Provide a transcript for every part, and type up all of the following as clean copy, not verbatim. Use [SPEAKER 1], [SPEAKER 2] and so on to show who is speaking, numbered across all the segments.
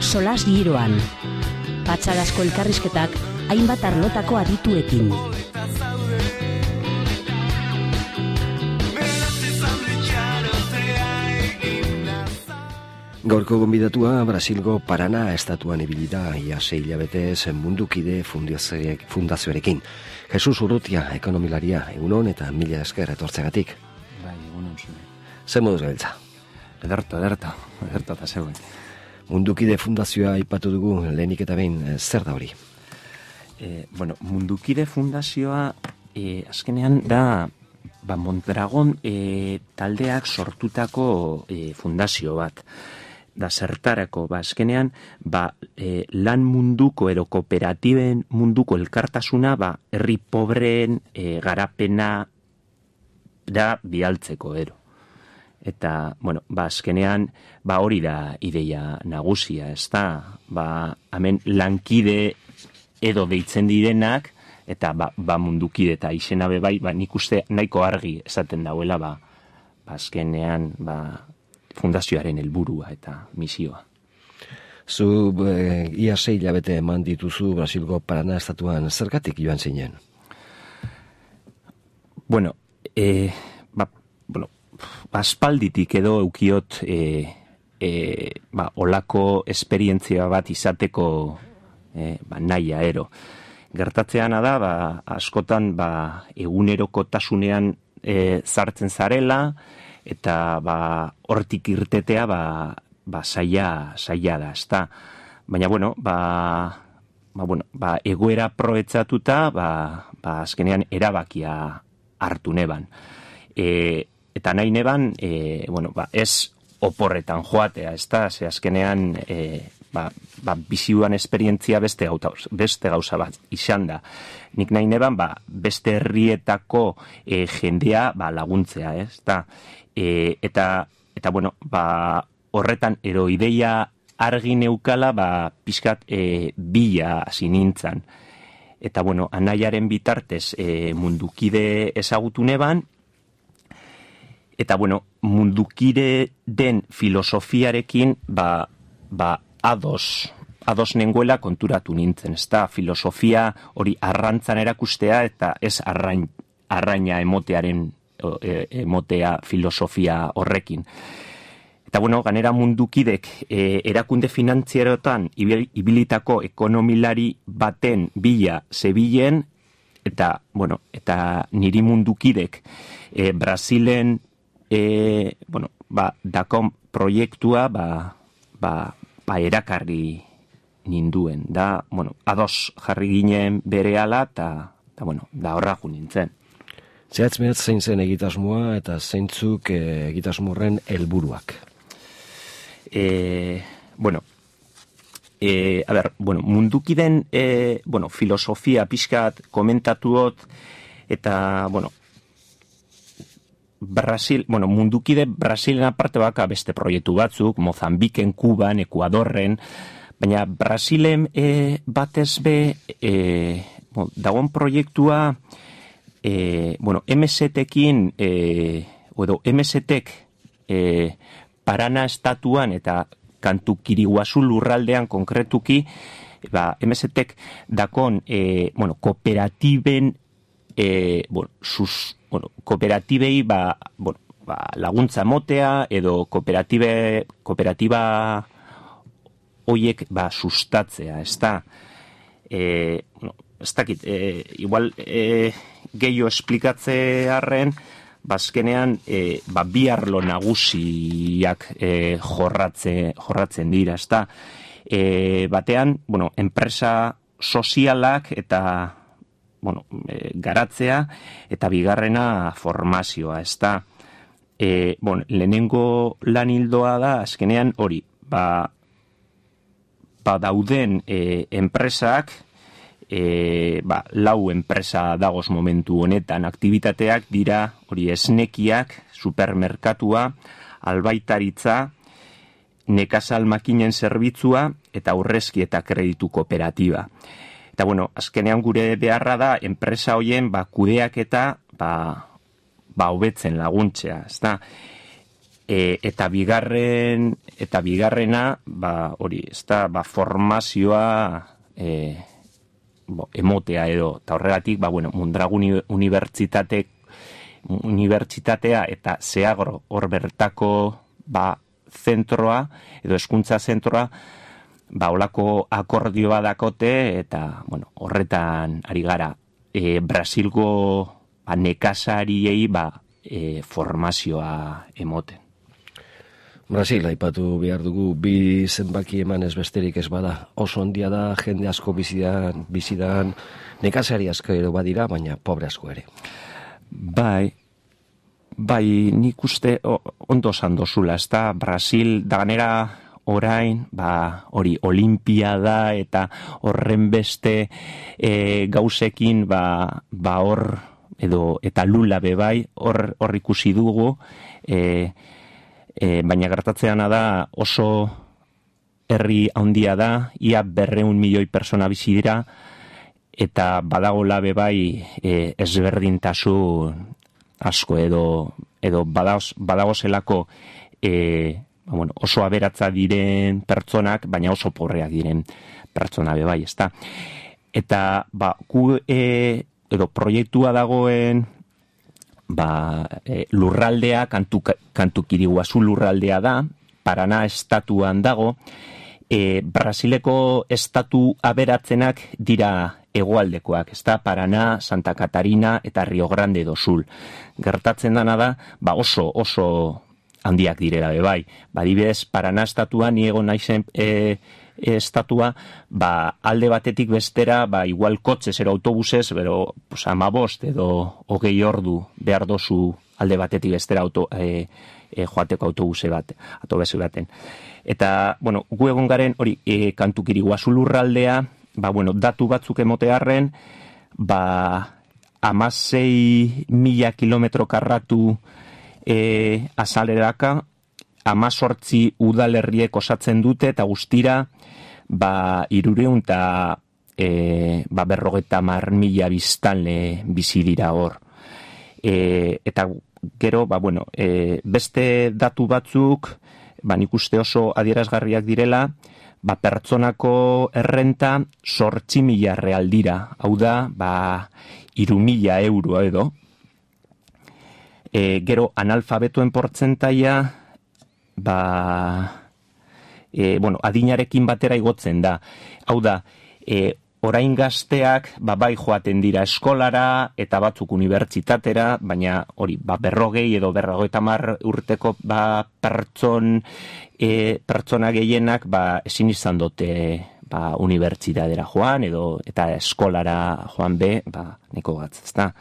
[SPEAKER 1] solas giroan. Patxadazko elkarrizketak hainbat arlotako adituekin.
[SPEAKER 2] Gaurko gonbidatua Brasilgo Paraná estatuan ibili da ia 6 hilabetez Mundukide fundazioarekin. Jesus Urrutia, ekonomilaria, egunon eta mila esker etortzegatik.
[SPEAKER 3] Bai, egunon zure.
[SPEAKER 2] Zer moduz gabiltza?
[SPEAKER 3] Ederto eta zegoen.
[SPEAKER 2] Mundukide fundazioa aipatu dugu lehenik eta behin, zer da hori?
[SPEAKER 3] Mundukide fundazioa azkenean da Mondragon taldeak sortutako fundazio bat. Da zertarako, azkenean, lan munduko edo kooperatiben munduko elkartasuna, herri pobreen garapena da bialtzeko ero. Eta, azkenean, hori da ideia nagusia, ez da, hemen lankide edo deitzen direnak, eta mundukide eta izena bebai, nik uste nahiko argi esaten dauela, azkenean, fundazioaren helburua eta misioa.
[SPEAKER 2] Zu ia 6 hilabete eman dituzu Brasilgo Paraná estatuan, zergatik joan zinen?
[SPEAKER 3] Aspalditik edo eukiot olako esperientzia bat izateko nahia ero. Gertatzeana da, askotan egunerokotasunean sartzen zarela, eta hortik irtetea zaila da, ezta. Baina, egoera proetzatuta, azkenean erabakia hartu neban. Eta nahi neban, ez oporretan joatea, ezta, ze azkenean bizioan esperientzia beste gauza bat izan da. Nik nahi neban, beste herrietako jendea laguntzea, ezta. Eta horretan ideia argi neukala, pixkat bila hasi nintzen. Eta, anaiaren bitartez Mundukide ezagutu neban, eta, Mundukide den filosofiarekin, ados nengoela konturatu nintzen, ez da, filosofia hori arrantzan erakustea, eta ez arraina emotea filosofia horrekin. Eta, ganera Mundukidek erakunde finantzierotan ibilitako ekonomilari baten bila zebilen, eta niri Mundukidek Brasilen dakon proiektua erakarri ninduen. Da, ados jarri ginen berehala, eta horraku nintzen.
[SPEAKER 2] Zehatz zein zen egitasmoa eta zeintzuk egitasmorren helburuak?
[SPEAKER 3] Mundukiden filosofia pixkat komentatuot, eta, Mundukide Brasilen aparte beste proiektu batzuk, Mozambiken, Kuban, Ekuadorren, baina Brasilen batez be, dagoen proiektua, MST-ekin, edo MST-ek Paraná estatuan eta Kantukiriguazu lurraldean konkretuki, MST-ek dakon kooperatiben, kooperatibei laguntza motea edo kooperatiba hoiek sustatzea, ez da. Ez dakit, igual gehiago esplikatzearen, bazkenean bi arlo nagusiak jorratzen dira, ez da. Batean, enpresa sozialak eta garatzea, eta bigarrena formazioa, ez da. Lehenengo lan hildoa da, azkenean hori, dauden enpresak, lau enpresa dagoz momentu honetan, aktibitateak dira hori esnekiak, supermerkatua, albaitaritza, nekazal makinen zerbitzua eta aurrezki eta kreditu kooperatiba. Eta azkenean gure beharra da enpresa hoien kudeak eta hobetzen laguntzea, ezta? eta bigarrena, hori, formazioa emotea edo, eta horregatik, Mondragon unibertsitatea eta Zeagro hor bertako zentroa, edo hezkuntza zentroa, olako akordioa dakote, eta, horretan ari gara, Brasilgo nekazariei formazioa emoten.
[SPEAKER 2] Brasil, aipatu behar dugu, bi zenbaki eman ez besterik ez bada. Oso ondia da, jende asko bizidan, nekazari asko ere badira, baina pobre asko ere.
[SPEAKER 3] Bai, nik uste ondo zandozula, ez da, Brasil, da ganera orain, hori, olimpiada eta horren beste gauzekin, hor, edo, eta lula bebai, hor ikusi dugu, baina gertatzeana da oso herri handia da, ia 200 milioi persona bizi dira, eta badagola bebai ezberdintasun asko edo badagozelako oso aberatza diren pertsonak, baina oso pobreak diren pertsona bebai, ezta. Eta edo proiektua dagoen lurraldea, Kantu Kiriguazu lurraldea da, Paraná estatuan dago, Brasileko estatu aberatzenak dira hegoaldekoak, ezta, Paraná, Santa Catarina eta Rio Grande do Sul. Gertatzen dana da, oso handiak direla bebai. Adibidez, Paraná estatua, ni egon naizen estatua, alde batetik bestera, igual kotxez ero autobusez, bero 15 edo 20 ordu behar dozu alde batetik bestera joateko autobuse baten. Eta, gu egon garen, hori, Kantu Kiriguazu lurraldea, datu batzuk emotearren, 16.000 kilometro karratu azaleraka, 18 udalerriek osatzen dute, eta guztira, 300 eta 50.000 biztanle bizi dira hor. Eta gero, beste datu batzuk, nik uste oso adierazgarriak direla, pertsonako errenta 8.000 real dira, hau da, 3.000 euro edo. Gero, analfabetuen portzentaia, adinarekin batera igotzen da. Hau da, orain gazteak, bai joaten dira eskolara, eta batzuk unibertsitatera, baina hori, 40 edo 50 urteko pertsona gehienak, ezin izan dute unibertsitatera joan, eta eskolara joan neko batz, ezta.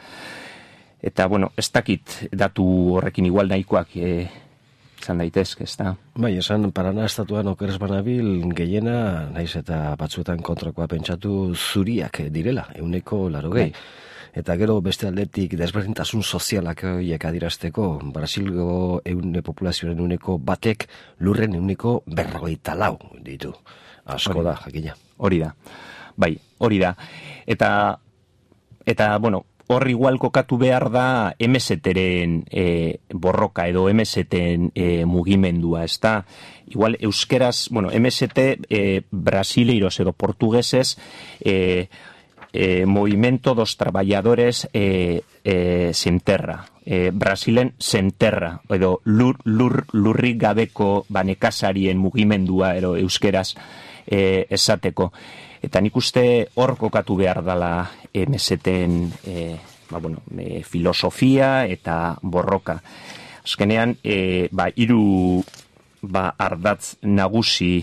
[SPEAKER 3] Eta, ez dakit datu horrekin igual nahikoak izan daitezke, ezta.
[SPEAKER 2] Bai, esan Paraná estatuan okeres banabil gehiena, naiz eta batzuetan kontrakoa pentsatu zuriak direla, 180.
[SPEAKER 3] Bai.
[SPEAKER 2] Eta gero beste aldetik desberdintasun sozialak horiek adirazteko, Brasilgo populazioaren 1% lurren 144 ditu. Asko da, jakina.
[SPEAKER 3] Hori da. Bai, hori da. Eta hor igual kokatu behar da MST-ren borroka edo MST-en mugimendua, ez da? Igual euskeraz, MST brasileiros edo portugueses Movimento dos Trabajadores Sen Terra. Brasilen Sen Terra, edo lurrik gabeko nekazarien mugimendua edo euskeraz esateko. Eta nik uste hor kokatu behar dela MST-en filosofia eta borroka. Azkenean, 3 ardatz nagusi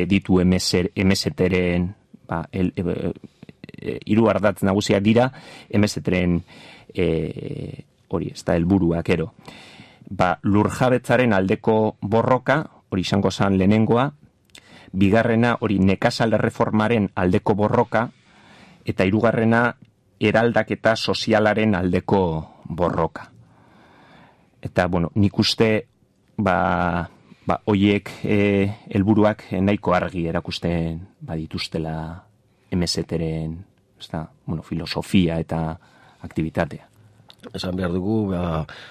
[SPEAKER 3] ditu MST-ren, 3 ardatz nagusiak dira MST-ren hori, ez da helburuak ero. Lurjabetzaren aldeko borroka, hori izango zen lehenengoa, bigarrena hori nekazal erreformaren aldeko borroka, eta 3. eraldaketa sozialaren aldeko borroka. Eta, nik uste, hoiek helburuak nahiko argi erakusten dituztela MST-ren filosofia eta aktivitatea.
[SPEAKER 2] Esan behar dugu,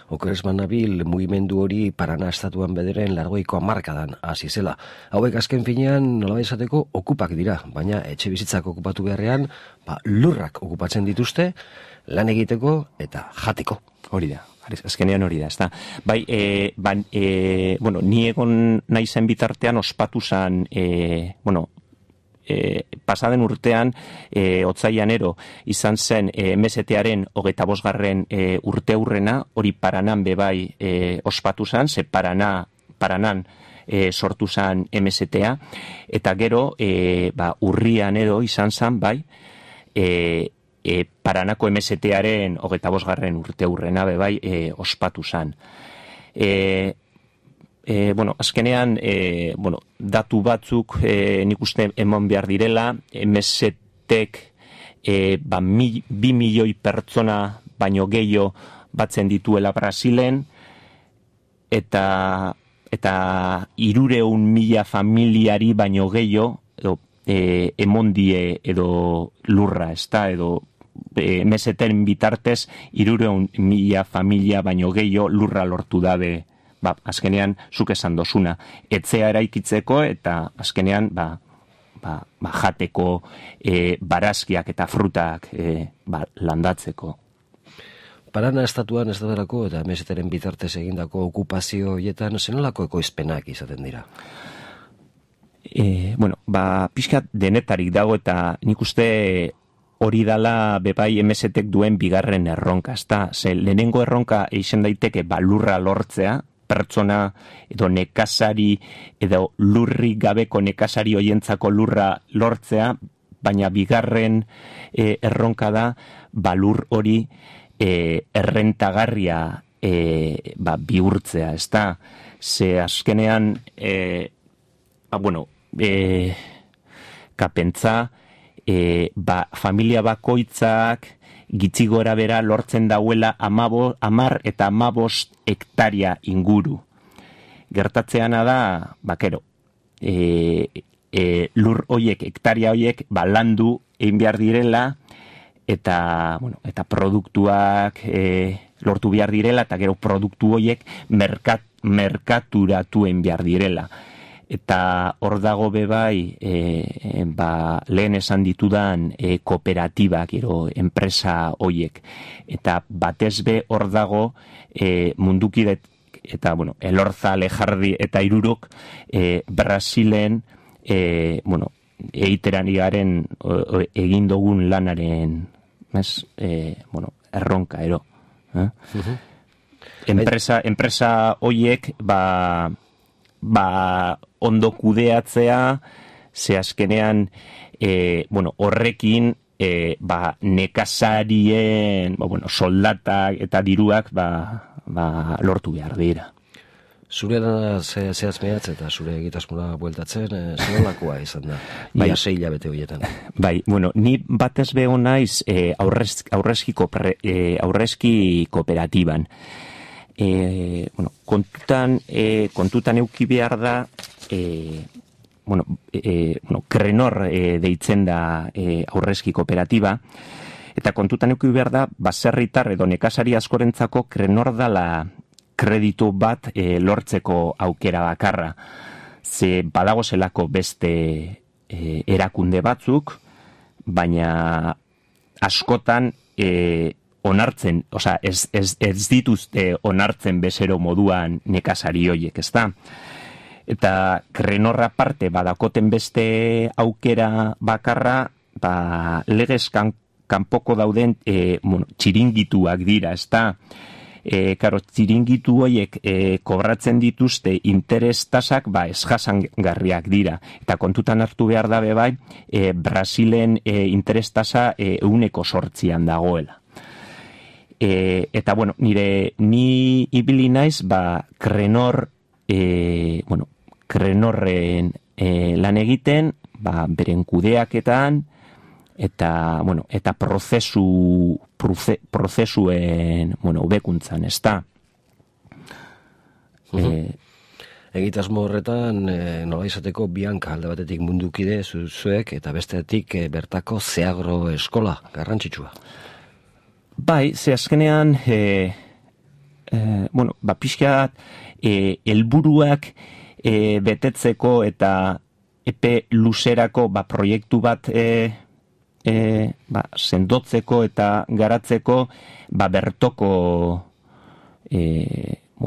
[SPEAKER 2] okeres manabil mugimendu hori Parana estatuan bederen 80ko hamarkadan hasi zela. Hauek azken finean nola izateko okupak dira, baina etxe bizitzak okupatu beharrean, lurrak okupatzen dituzte, lan egiteko eta jateko.
[SPEAKER 3] Hori da, azkenean hori da, ezta. Bai, bueno, ni egon naizen bitartean ospatu zan, pasaden urtean, otsailean izan zen MST-aren 25. Urteurrena, hori Paranan bebai ospatu zen, ze Paranan sortu zen MST-a, eta gero, urrian izan zen, bai, Paranako MST-aren 25. Urteurrena bebai ospatu zen. Bueno, azkenean, datu batzuk nik uste eman behar direla, MST-ek 2 milioi pertsona baino gehiago batzen dituela Brasilen, eta 300.000 familiari baino gehiago emondie edo lurra, ezta, edo MST-en bitartez 300.000 familia baino gehiago lurra lortu dabe. Azkenean, zuk esan dozuna, etzea eraikitzeko eta azkenean, jateko barazkiak eta frutak landatzeko.
[SPEAKER 2] Parana estatuan ez daudelako eta MST-ren bitartez egindako okupazio horietan zenolako ekoizpenak izaten dira?
[SPEAKER 3] Pixkat denetarik dago eta nik uste hori dala bebai MST-ek duen bigarren erronka, ezta? Lehenengo erronka eixen daiteke lurra lortzea, pertsona edo nekazari edo lurri gabeko nekazari hoientzako lurra lortzea, baina bigarren erronka da lur hori errentagarria bihurtzea, ezta? Ze azkenean kapentza familia bakoitzak gitzi gora bera lortzen dauela 10 eta 15 hektaria inguru. Gertatzeana da, lur hoiek, hektaria hoiek, landu egin behar direla, eta produktuak lortu behar direla, eta gero produktu hoiek merkaturatu egin behar direla. Eta hor dago bebai, lehen esan ditudan kooperatibak, enpresa hoiek. Eta batez be hor dago mundukidet, eta Elorza, Lejardi eta Irurok Brasilen eiteran igaren egin dugun lanaren erronka, Enpresa hoiek, ondo kudeatzea, ze azkenean, horrekin, nekazarien, soldatak eta diruak, lortu behar dira.
[SPEAKER 2] Zure zehaz mehatz eta zure egitasmoa bueltatzen, zenolakoa izan da, ia 6 hilabete horietan.
[SPEAKER 3] Ni batez beho naiz aurrezki kooperatiban. Kontutan euki behar da, Krenor deitzen da aurrezki kooperatiba, eta kontutan euki behar da, baserritar edo nekazari askorentzako Krenor dala kreditu bat lortzeko aukera bakarra. Ze badago zelako beste erakunde batzuk, baina askotan onartzen, ez dituzte onartzen bezero moduan nekazari hoiek, ezta? Eta Krenorra parte badakoten beste aukera bakarra, legez kanpoko dauden txiringituak dira, ezta? Txiringitu hoiek kobratzen dituzte interes tasak ez jasangarriak dira. Eta kontutan hartu behar da bebai, Brasilen interes tasa 8% dagoela. Eta, ni ibili naiz, Krenorren lan egiten, beren kudeaketan, eta prozesuen, hobekuntzan, ezta.
[SPEAKER 2] Egitasmo horretan, nola izateko Bianca alde batetik mundukide zuek, eta bestetik bertako Zeagro eskola, garrantzitsua.
[SPEAKER 3] Bai, ze azkenean, pixkat, helburuak betetzeko eta epe luzerako proiektu bat sendotzeko eta garatzeko bertoko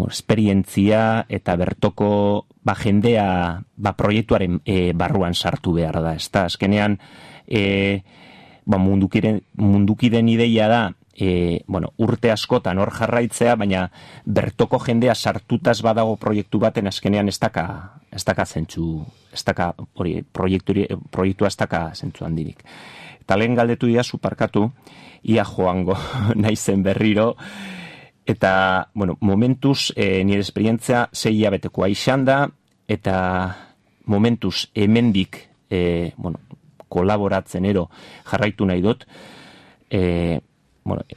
[SPEAKER 3] esperientzia eta bertoko jendea proiektuaren barruan sartu behar da. Ezta azkenean mundukiden ideia da urte askotan hor jarraitzea, baina bertoko jendea sartutaz badago proiektu baten azkenean ez daka zentzu, proiektua ez daka zentzu handirik. Eta lehen galdetu dira zuparkatu, ia joango naizen berriro, eta, momentuz nire esperientzia 6 hilabetekoa izan da, eta momentuz hemendik, kolaboratzen jarraitu nahi dut,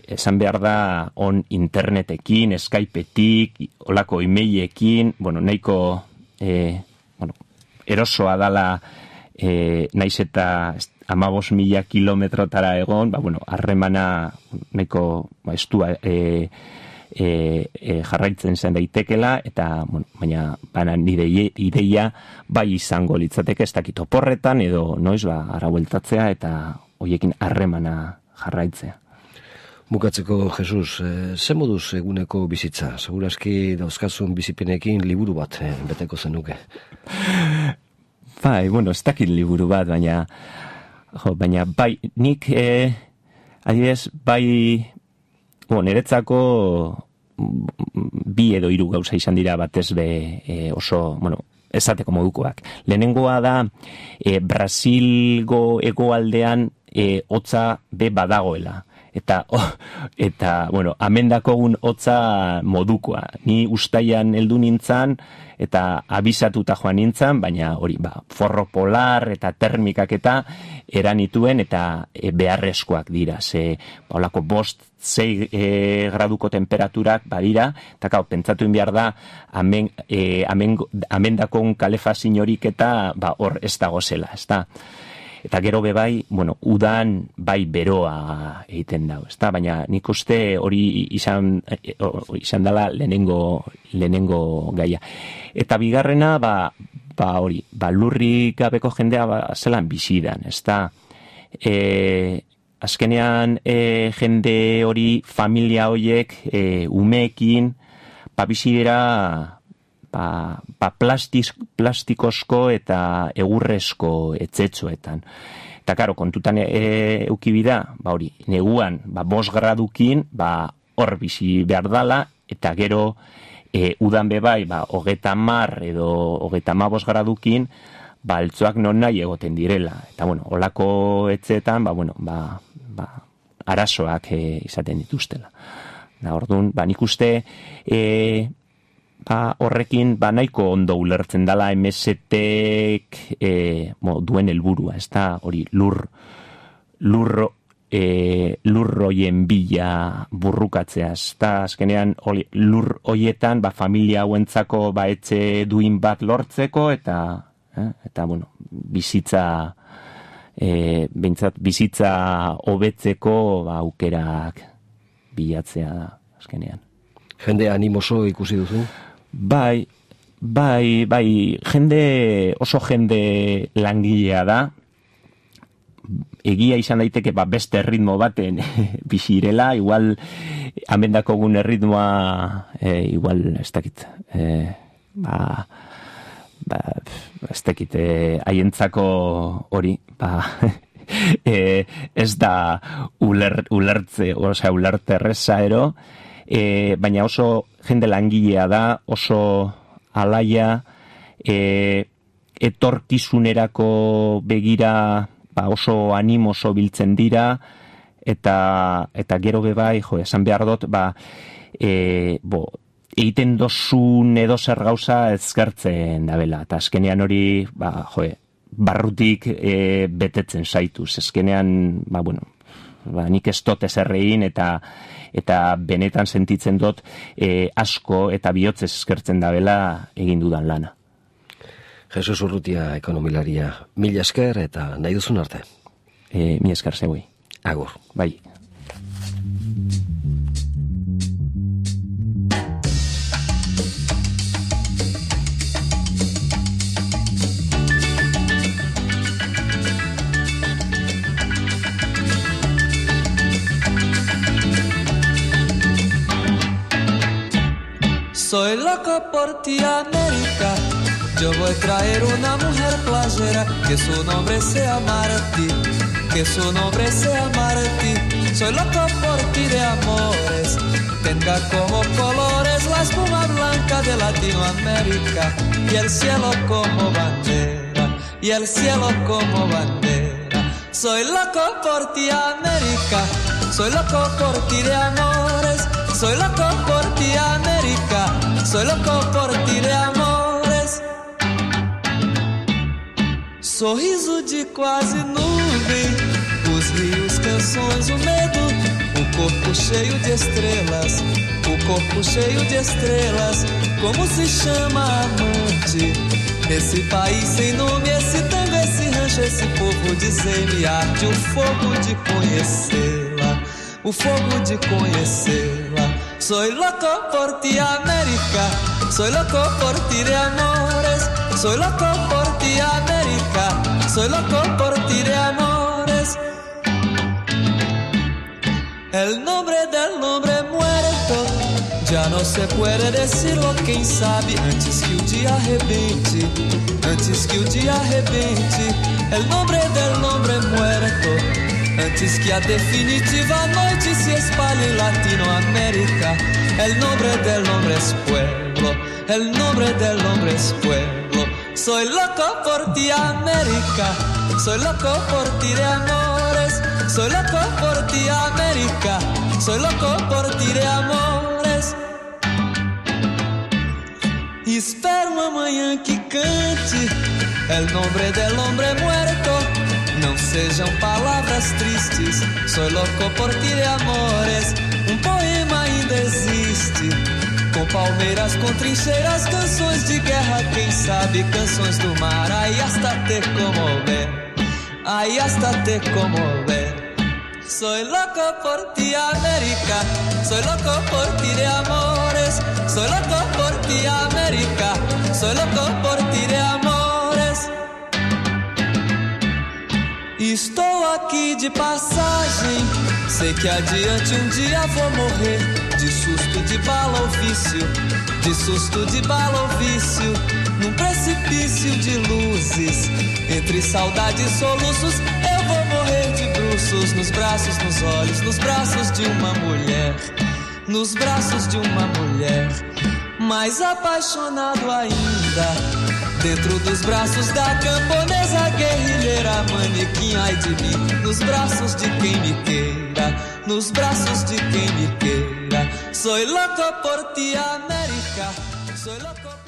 [SPEAKER 3] esan behar da on internetekin, Skypeetik, olako e-mailekin, nahiko erosoa dala naiz eta 15.000 kilometrotara egon, harremana nahiko estua jarraitzen zen daitekela, eta baina nire ideia bai izango litzateke ez dakit oporretan edo noiz arabueltatzea eta hoiekin harremana jarraitzea.
[SPEAKER 2] Bukatzeko, Jesus, ze moduz eguneko bizitza? Segurazki dauzkazun bizipenekin liburu bat beteko zenuke.
[SPEAKER 3] Bai, ez dakit liburu bat, baina bai, nik adibidez, bai, niretzako 2 edo 3 gauza izan dira batez be oso, esateko modukoak. Lehenengoa da, Brasilgo hegoaldean hotza be badagoela. Eta amendakogun hotza modukoa. Ni ustaian heldu nintzan, eta abisatuta joan nintzan, baina hori, forro polar eta termikak eta eranituen eta beharrezkoak dira. Ze, holako 5-6 graduko temperaturak badira, eta pentsatu behar da, amendakogun kalefazin horik eta hor ez dago zela, ez da. Eta gero bebai, udan bai beroa egiten dau, ezta? Baina nik uste hori izan dela lehenengo gaia. Eta bigarrena, hori, lurrik gabeko jendea zelan bizidan, ezta? Azkenean jende hori, familia horiek, umeekin, bizidera plastikozko eta egurrezko etzetxoetan. Eta, karo, kontutan eukibida, hori, neguan, 5 gradukin, hor bizi behar dala, eta gero, udan bebai, 30 edo 35 gradukin, altzoak non nahi egoten direla. Eta, holako etzetan, arazoak izaten dituztela. Orduan, nik uste, horrekin nahiko ondo ulertzen dala MST-ek duen helburua, ez da, hori lurroien bila burrukatzea, ez da, azkenean lur hoietan familia hauentzako etxe duin bat lortzeko eta bizitza hobetzeko aukerak bilatzea da, azkenean.
[SPEAKER 2] Jende animoso ikusi duzu?
[SPEAKER 3] Bai, oso jende langilea da, egia izan daiteke beste ritmo baten bizirela, igual amendakogun erritmoa, igual ez dakit, ez dakit, haientzako hori, ez da ulerte erreza ero, baina oso jende langilea da, oso alaia, etorkizunerako begira oso animoso biltzen dira, eta gero bebai, esan behar dut, egiten dozun edo zer gauza ezkertzen dabela, eta azkenean hori, barrutik betetzen zaituz, azkenean, nik ez dut ezerrein, eta benetan sentitzen dut asko eta bihotzez eskertzen dabela egin dudan lana.
[SPEAKER 2] Jesus Urrutia, ekonomilaria, mila esker eta nahi duzun arte.
[SPEAKER 3] Mila esker zeuei.
[SPEAKER 2] Agur.
[SPEAKER 3] Bai.
[SPEAKER 4] Soy loco por ti, América. Yo voy a traer una mujer playera, que su nombre sea Martí, que su nombre sea Martí. Soy loco por ti de amores, tenga como colores la espuma blanca de Latinoamérica y el cielo como bandera, y el cielo como bandera. Soy loco por ti, América, soy loco por ti de amores, soy loco por ti, América, soy loco por ti de amores. Sorriso de quase nuvem, os rios, canções, o medo, o corpo cheio de estrelas, o corpo cheio de estrelas. Como se chama amante? Esse país sem nome, esse tango, esse rancho, esse povo, dizer-me arde o fogo de conhecê-la, o fogo de conhecê-la. Soy loco por ti, América, soy loco por ti de amores, soy loco por ti, América, soy loco por ti de amores. El nombre del hombre muerto ya no se puede decirlo, quem sabe, antes que o dia arrebente, antes que o dia arrebente. El nombre del hombre muerto, antes que a definitiva noite se espalhe en Latinoamérica. El nombre del hombre es pueblo, el nombre del hombre es pueblo. Soy loco por ti, América, soy loco por ti de amores, soy loco por ti, América, soy loco por ti de amores. Espero amanhã que cante el nombre del hombre muerto. Não sejam palavras tristes, soy loco por ti de amores. Um poema ainda existe, com palmeiras, com trincheiras, canções de guerra, quem sabe, canções do mar. Aí hasta te comover, aí hasta te comover. Soy loco por ti, América, soy loco por ti de amores, soy loco por ti, América, soy loco por ti de amores. Estou aqui de passagem, sei que adiante um dia vou morrer, de susto de bala ou vício, de susto de bala ou vício, num precipício de luzes, entre saudade e soluços, eu vou morrer de bruços, nos braços, nos olhos, nos braços de uma mulher, nos braços de uma mulher, mais apaixonado ainda, dentro dos braços da camponesa guerrilheira, manequim, ai de mim, nos braços de quem me queira, nos braços de quem me queira. Soy loco por ti, América, soy loco